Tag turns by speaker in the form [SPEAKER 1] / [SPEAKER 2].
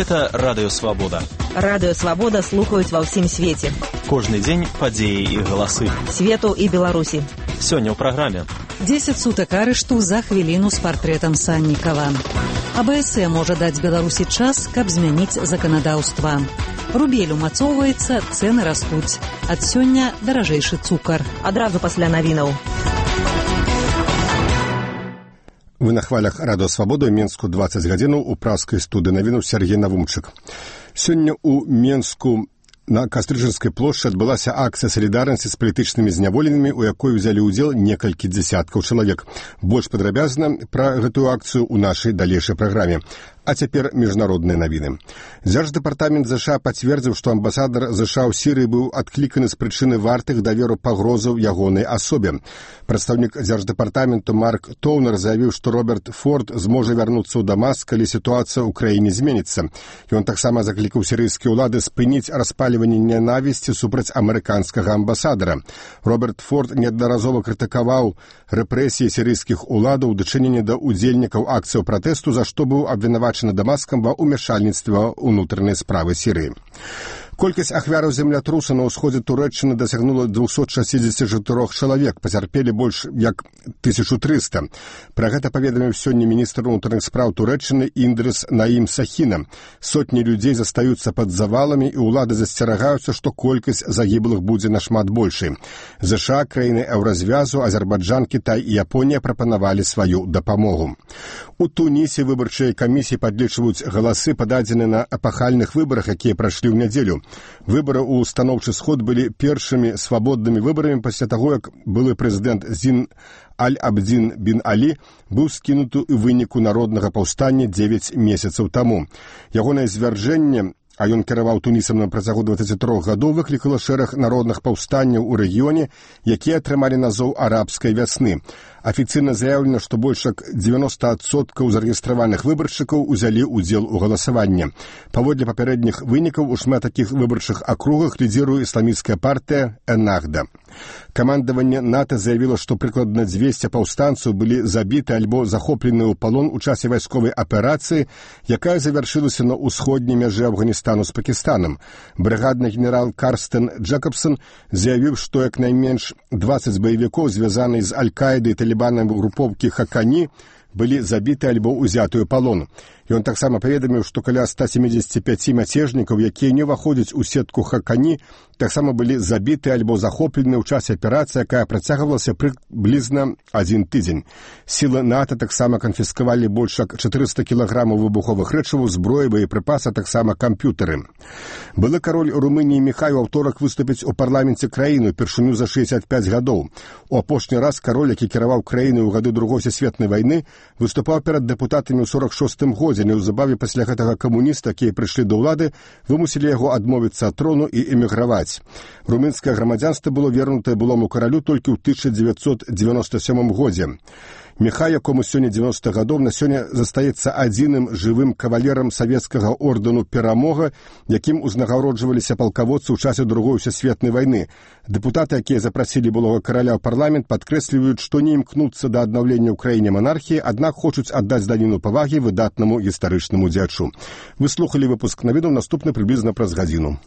[SPEAKER 1] Гэта Радыё Свабода.
[SPEAKER 2] Радыё Свабода слухаюць ва ўсім свеце.
[SPEAKER 1] Кожны дзень падзеі і галасы.
[SPEAKER 2] Свету і Беларусі.
[SPEAKER 1] Сёння ў праграме.
[SPEAKER 3] 10 сутак арышту за хвіліну з партрэтам Саннікава. АБС можа даць Беларусі час, каб змяніць заканадаўства. Рубель умацоўваецца, цэны растуць. Ад сёння даражэйшы цукар.
[SPEAKER 2] Адразу пасля навінаў.
[SPEAKER 4] Вы на хвалях Радыё Свабода, Менску 20 гадзінаў, у праскай студыі навінаў Сергей Навумчык. Сёння ў Менску на Кастрычанскай плошчы адбылася акцыя салідарнасці з палітычнымі зняволенымі, у якой узялі ўдзел некалькі дзясяткаў чалавек. Больш падрабязна пра гэтую акцыю ў нашай далейшай праграме. А цяпер міжнародныя навіны. Дзярждэпартамент ЗША пацвердзіў, што амбасадар ЗША ў Сірыі быў адкліканы з прычыны вартых даверу пагрозаў ягонай асобе. Прадстаўнік дзярждэпартаменту Марк Тоўнер заявіў, што Роберт Форд зможа вярнуцца ў Дамаск, калі сітуацыя ў краіне зменіцца. Ён таксама заклікаў сірыйскія ўлады спыніць распальванне нянавісці супраць амерыканскага амбасадара. Роберт Форд неаднаразова крытыкаваў рэпрэсіі сірыйскіх уладаў у дачыненні да ўдзельнікаў акцыяў пратэсту, за што быў абвінавачаны Дамаскам ва ўмяшальніцтва ўнутранай справы Сірыі. Колькасць ахвяраў землятруса на ўсходзе Турэччыны дасягнула 264 чалавек, пацярпелі больш як 1300. Пра гэта паведаміў сёння міністр унутраных спраў Турэччыны Індрыс Наім Сахіна. Сотні людзей застаюцца пад заваламі, і ўлады засцерагаюцца, што колькасць загіблых будзе нашмат большай. ЗША, краіны Еўразвязу, Азербайджан, Кітай і Японія прапанавалі сваю дапамогу. У Тунісе выбарчыя камісіі падлічваюць галасы, пададзеныя на эпахальных выбарах, якія прайшлі ў нядзелю. Выбары ў станоўчы сход былі першымі свабоднымі выбарамі пасля таго, як былы прэзідэнт Зін Аль-Абдзін бін Алі быў скінуты ў выніку народнага паўстання 9 месяцаў таму. Ягонае звяржэнне, а ён кіраваў Тунісам на працягу 23 гадоў, выклікала шэраг народных паўстанняў у рэгіёне, якія атрымалі назоў арабскай вясны. Афіцыйна заяўлена, што больш як 90% зарэгістраваных выбаршчыкаў узялі ўдзел у галасаванні. Паводле папярэдніх вынікаў у шмат такіх выбарчых акругах лідзіруе ісламісцкая партыя Эннахда. Камандаванне НАТО заявіла, што прыкладна 200 паўстанцаў былі забіты альбо захоплены ў палон у часе вайсковай аперацыі, якая завяршылася на ўсходняй мяжы Афганістану з Пакістанам. Брыгадны генерал Карстен Джэкабсон заявіў, што як найменш 20 баевікоў, звязаныя з Аль-Каідай і талібанам групоўкі Хакані, былі забіты альбо ўзяты ў палон. Ён таксама паведаміў, што каля 175 мяцежнікаў, якія не ўваходзяць у сетку Хакані, таксама былі забіты альбо захоплены ў часе аперацыі, якая працягвалася прыблізна 1 тыдзень. Сілы НАТО таксама канфіскавалі больш як 400 кілаграмаў выбуховых рэчываў, зброі, боепрыпасы, таксама камп'ютары. Былы кароль Румыніі Міхай у аўторак выступіць у парламенце краіны упершыню за 65 гадоў. У апошні раз кароль, які кіраваў краінай у гады Другой сусветнай вайны, выступаў перад дэпутатамі ў 46-м годзе. Неўзабаве пасля гэтага камуніста, якія прыйшлі да ўлады, вымусілі яго адмовіцца ад трону і эміграваць. Румынскае грамадзянства было вернутае былому каралю толькі ў 1997 годзе. Міхай, якому сёння 90 гадоў, на сёння застаецца адзіным жывым кавалерам савецкага ордэну «Перамога», якім узнагароджваліся палкаводцы ў часе Другой сусветнай вайны. Дэпутаты, якія запрасілі былога караля ў парламент, падкрэсліваюць, што не імкнуцца да аднаўлення ў краіне манархіі, аднак хочуць аддаць даніну павагі выдатнаму гістарычнаму дзячу. Вы слухалі выпуск навінаў, наступны прыблізна праз гадзіну.